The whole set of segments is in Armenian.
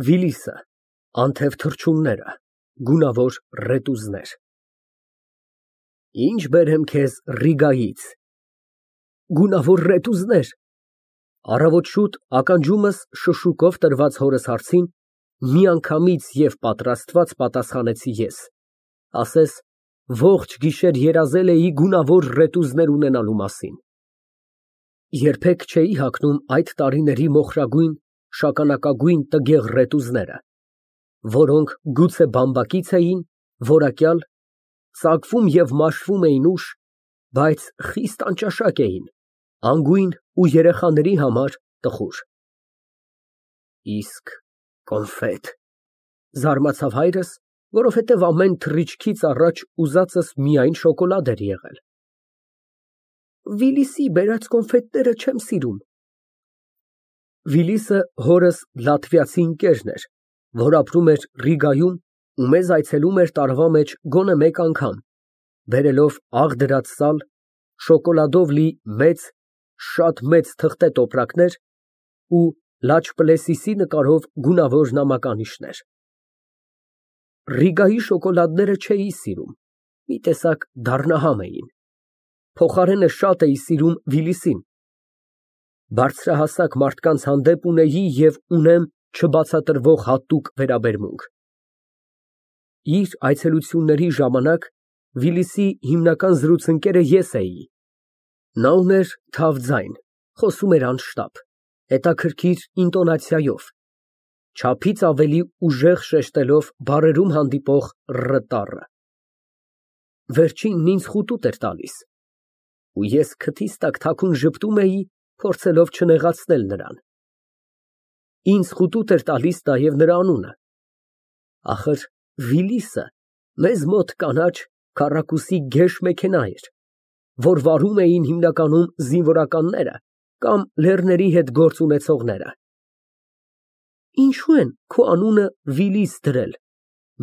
Վիլիսը, անթև թռչունները, գունավոր ռետուզներ։ Ինչ բերեմ քեզ Ռիգայից։ Գունավոր ռետուզներ։ Առավոտ շուտ ականջումս շշուկով տրված հորս հարցին միանգամից և պատրաստված պատասխանեցի ես, ասես ողջ գիշեր երազել էի գունավոր ռետուզներ ունենալու մասին։ Երբեք չէի հագնում այդ տարիների մոխրագույն, շագանակագույն տգեղ ռետուզները, որոնք գուցե բամբակից էին, որակյալ, ծակվում և մաշվում էին ուշ, բայց խիստ անճաշակ էին, անգույն ու երեխաների համար տխուր։ Իսկ կոնֆետ, զարմացավ հայրս, որովհետև ամեն թռիչքից առաջ ուզածս միայն շոկոլադ էր եղել։ Վիլիսի բերած կոնֆետները չեմ սիրում։ Վիլիսը հորս լատվիացի ընկերն էր, որ ապրում էր Ռիգայում ու մեզ այցելում էր տարվա մեջ գոնե մեկ անգամ, բերելով աղ դրած սալ, շոկոլադով լի շատ մեծ թղթե տոպրակներ ու Լաչպլեսիսի նկարով գունավոր նամականիշներ։ Ռիգայի շոկոլադները չէի սիրում, մի տեսակ դառնահամ էին, փոխարենը շատ էի սիրում Վիլիսին։ Բարձրահասակ մարդկանց հանդեպ ունեի և ունեմ չբացատրվող հատուկ վերաբերմունք։ Իր այցելությունների ժամանակ Վիլիսի հիմնական զրուցընկերը ես էի։ Նա ուներ թավ ձայն, խոսում էր անշտապ, հետաքրքիր ինտոնացիայով, չափից ավելի ուժեղ շեշտելով բառերում հանդիպող ռ տառը։ Վերջինն ինձ խուտուտ էր տալիս, ու ես քթիս տակ թաքուն ժպտում էի, փորձելով չնեղացնել նրան։ Ինձ խուտուտ էր տալիս նաև նրա անունը։ Ախր Վիլիսը մեզ մոտ կանաչ քառակուսի գեշ մեքենա էր, որ վարում էին հիմնականում զինվորականները կամ լեռների հետ գործ ունեցողները։ Ինչո՞ւ են քո անունը Վիլիս դրել,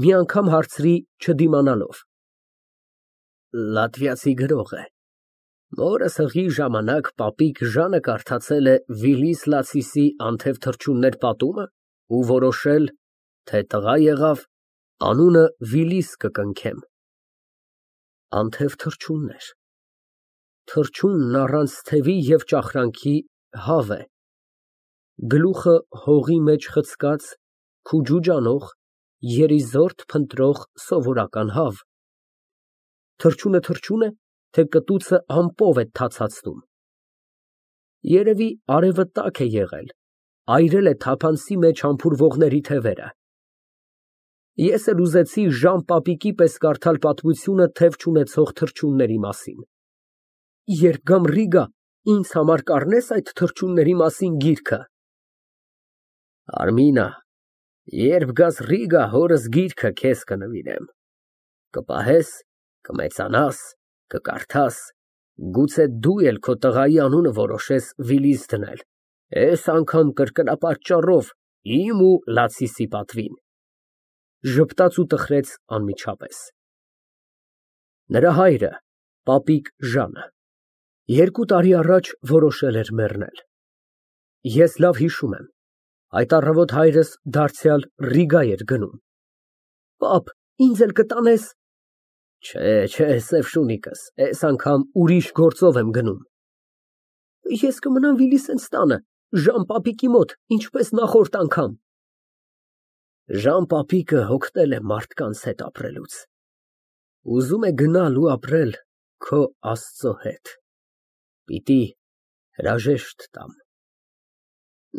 մի անգամ հարցրի չդիմանալով։ Լատվիացի գրող է։ Մորս հղի ժամանակ պապիկ Ժանը կարդացել է Վիլիս Լացիսի «Անթև թռչուններ» պատումը ու որոշել, թե տղա եղավ, անունը Վիլիս կկնքեմ։ Անթև թռչուններ։ Թռչունն առանց թևի և ճախրանքի հավ է, գլուխը հողի մեջ խցկած, քուջուջ անող, երիզորդ փնտրող սովորական հավ։ Թռչունը թռչուն է, թե կտուցը ամպով է թացածնում։ Երևի արևը տաք է եղել, այրել է թափանցի մեջ համբուրվողների թևերը։ Ես էլ ուզեցի Ժան պապիկի պես կարդալ պատմությունը թև չունեցող թռչունների մասին։ Երբ գամ Ռիգա, ինձ համար կառնե՞ս այդ թռչունների մասին գիրքը։ Արմինա, երբ գաս Ռիգա, հորս գիրքը քեզ կնվիրեմ, կպահես, կմեծանաս, կկարդաս, գուցե դու էլ քո տղայի անունը որոշես Վիլիս դնել, էս անգամ կրկնապատճառով իմ ու Լացիսի պատվին։ Ժպտաց ու տխրեց անմիջապես։ Նրա հայրը, պապիկ Ժանը, 2 տարի առաջ որոշել էր մեռնել։ Ես լավ հիշում եմ, այդ առավոտ հայրս դարձյալ Ռիգա էր գնում։ Պապ, ինձ էլ կտանե՞ս։ Չէ, սև շունիկս, էս անգամ ուրիշ գործով եմ գնում։ Ես կմնամ Վիլիսենց տանը, Ժան պապիկի մոտ, ինչպես նախորդ անգամ։ Ժան պապիկը հոգնել է մարդկանց հետ ապրելուց, ուզում է գնալ ու ապրել քո Աստծո հետ, պիտի հրաժեշտ տամ։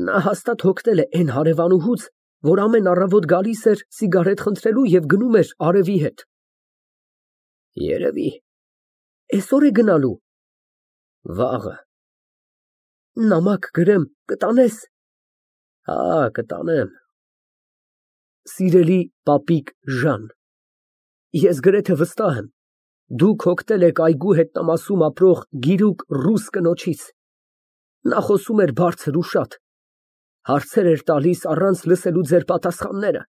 Նա հաստատ հոգնել է էն հարևանուհուց, որ ամեն առավոտ գալիս էր սիգարետ խնդրելու և գնում էր արևի հետ։ Երևի։ Էսօր է գնալու։ Վաղը։ Նամակ գրեմ, կտանե՞ս։ Հա, կտանեմ։ Սիրելի պապիկ Ժան, ես գրեթե վստահ եմ, դուք հոգնել եք այգու հետնամասում ապրող գիրուկ ռուս կնոջից։ Նա խոսում էր բարձր ու շատ, հարցեր էր տալիս առանց լսելու ձեր պատասխանները,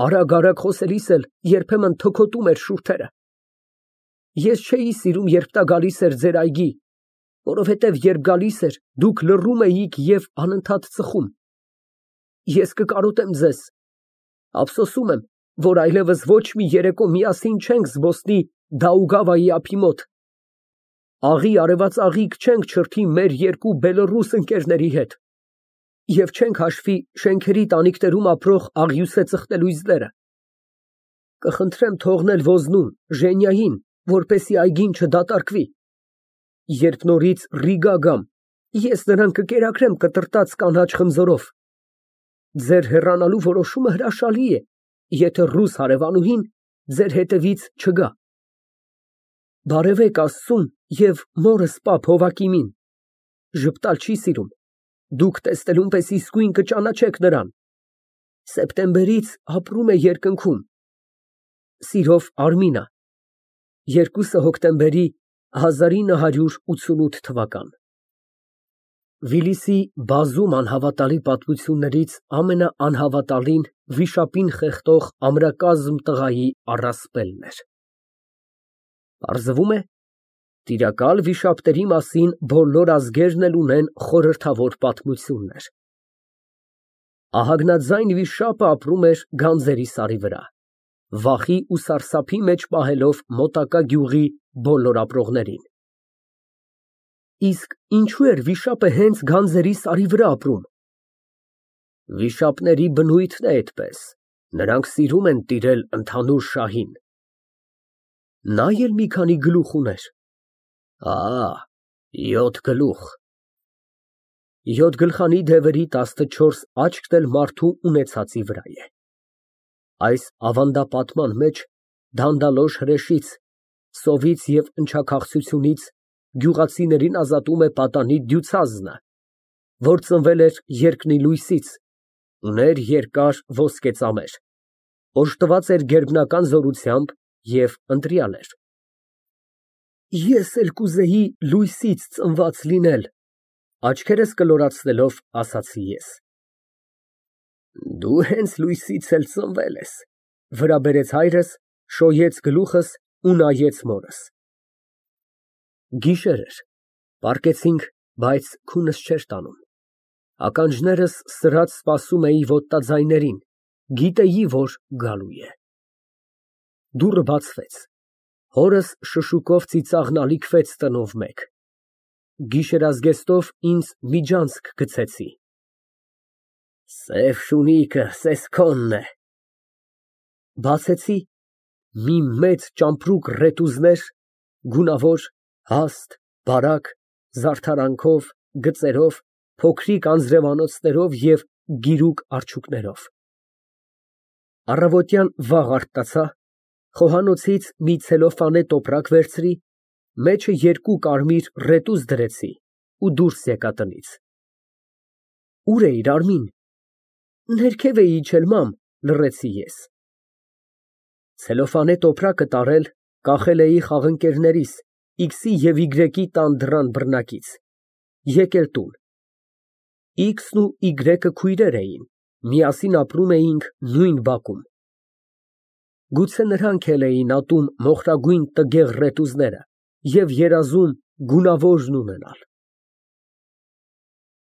արագ խոսելիս էլ երբեմն թոքոտում էր շուրթերը։ Ես չէի սիրում, երբ նա գալիս էր ձեր այգի, որովհետև երբ գալիս էր, դուք լռում էիք և անընդհատ ծխում։ ես կկարոտեմ ձեզ։ Ափսոսում եմ, որ այլևս ոչ մի երեկո միասին չենք զբոսնի Դաուգավայի ափի մոտ։ Աղի արևած աղիք չենք չրթի մեր երկու բելոռուս ընկերների հետ և չենք հաշվի շենքերի տանիքներում ապրող աղյուսե ծխտելույզները։ Կխնդրեմ թողնել ոզնում Ժենյային, որպեսզի այգին չդատարկվի։ Երբ նորից Ռիգա գամ, ես նրան կկերակրեմ կտրտած կանաչ խնձորով։ Ձեր հեռանալու որոշումը հրաշալի է, եթե ռուս հարևանուհին ձեր հետևից չգա։ Բարևեք Աստծուն և մորս պապ Հովակիմին։ Ժպտալ չի սիրում։ Դուք տեսնելուն պես իսկույն կճանաչեք նրան։ Սեպտեմբերից ապրում է երկնքում։ Սիրով Արմինա 2 հոկտեմբերի 1988 թվական։ Վիլիսի բազում անհավատալի պատմություններից ամենաանհավատալին վիշապին խեղդող ամրակազմ տղայի առասպելն էր։ Պարզվում է, տիրակալ վիշապների մասին բոլոր ազգերն էլ ունեն խորհրդավոր պատմություններ։ Ահագնաձայն վիշապը ապրում էր գանձերի սարի վրա, վախի ու սարսափի մեջ պահելով մոտակա գյուղի բոլոր ապրողներին։ Իսկ ինչու էր վիշապը հենց գանձերի սարի վրա ապրում։ Վիշապների բնույթն է այդպես, նրանք սիրում են տիրել ընդհանուր շահին։ Նա էլ մի քանի գլուխ ուներ։ 7 գլուխ։ 7 գլխանի դևերի 14 աչքն էլ մարդու ունեցածի վրա է։ Այս ավանդապատման մեջ դանդալոշ հրեշից, սովից և ընչաքաղցությունից գյուղացիներին ազատում է պատանի դյուցազնը, որ ծնվել էր երկնի լույսից, ուներ երկար ոսկե ծամեր, օժտված էր գերբնական զորությամբ և ընտրյալ էր։ Ես էլ կուզեի լույսից ծնված լինել, աչքերս կլորացնելով ասացի ես։ Դու հենց լույսից էլ ծնվել ես, վրա բերեց հայրս, շոյեց գլուխս ու նայեց մորս։ Գիշեր էր, պառկեցինք, բայց քունս չէր տանում։ Ականջներս սրած սպասում էի ոտնաձայներին, գիտեի, որ գալու է։ Դուռը բացվեց, հորս շշուկով ծիծաղն ալիքվեց տնով մեկ։ Գիշերազգեստով ինձ միջանցք գցեցի։ Սև շունիկը սեսքոնն է։ Բացեցի, մի մեծ ճամպրուկ ռետուզներ, գունավոր, հաստ, բարակ, զարդարանքով, գծերով, փոքրիկ անձրևանոցներով և գիրուկ արջուկներով։ Առավոտյան վաղ արթնացա, խոհանոցից մի ցելոֆանե տոպրակ վերցրի, մեջը 2 կարմիր ռետուզ դրեցի ու դուրս եկա տնից։ Ուր էիր, Արմին։ Ներքև էի իջել, մամ, լռեցի ես։ Ցելոֆանե տոպրակը տարել, կախել էի խաղընկերներիս X-ի և Y-ի տան դռան բռնակից, եկել տուն։ X-ն ու Y-ը քույրեր էին, միասին ապրում էինք նույն բակում։ Գուցե նրանք էլ էին ատում մոխրագույն տգեղ ռետուզները և երազում գունավորն ունենալ։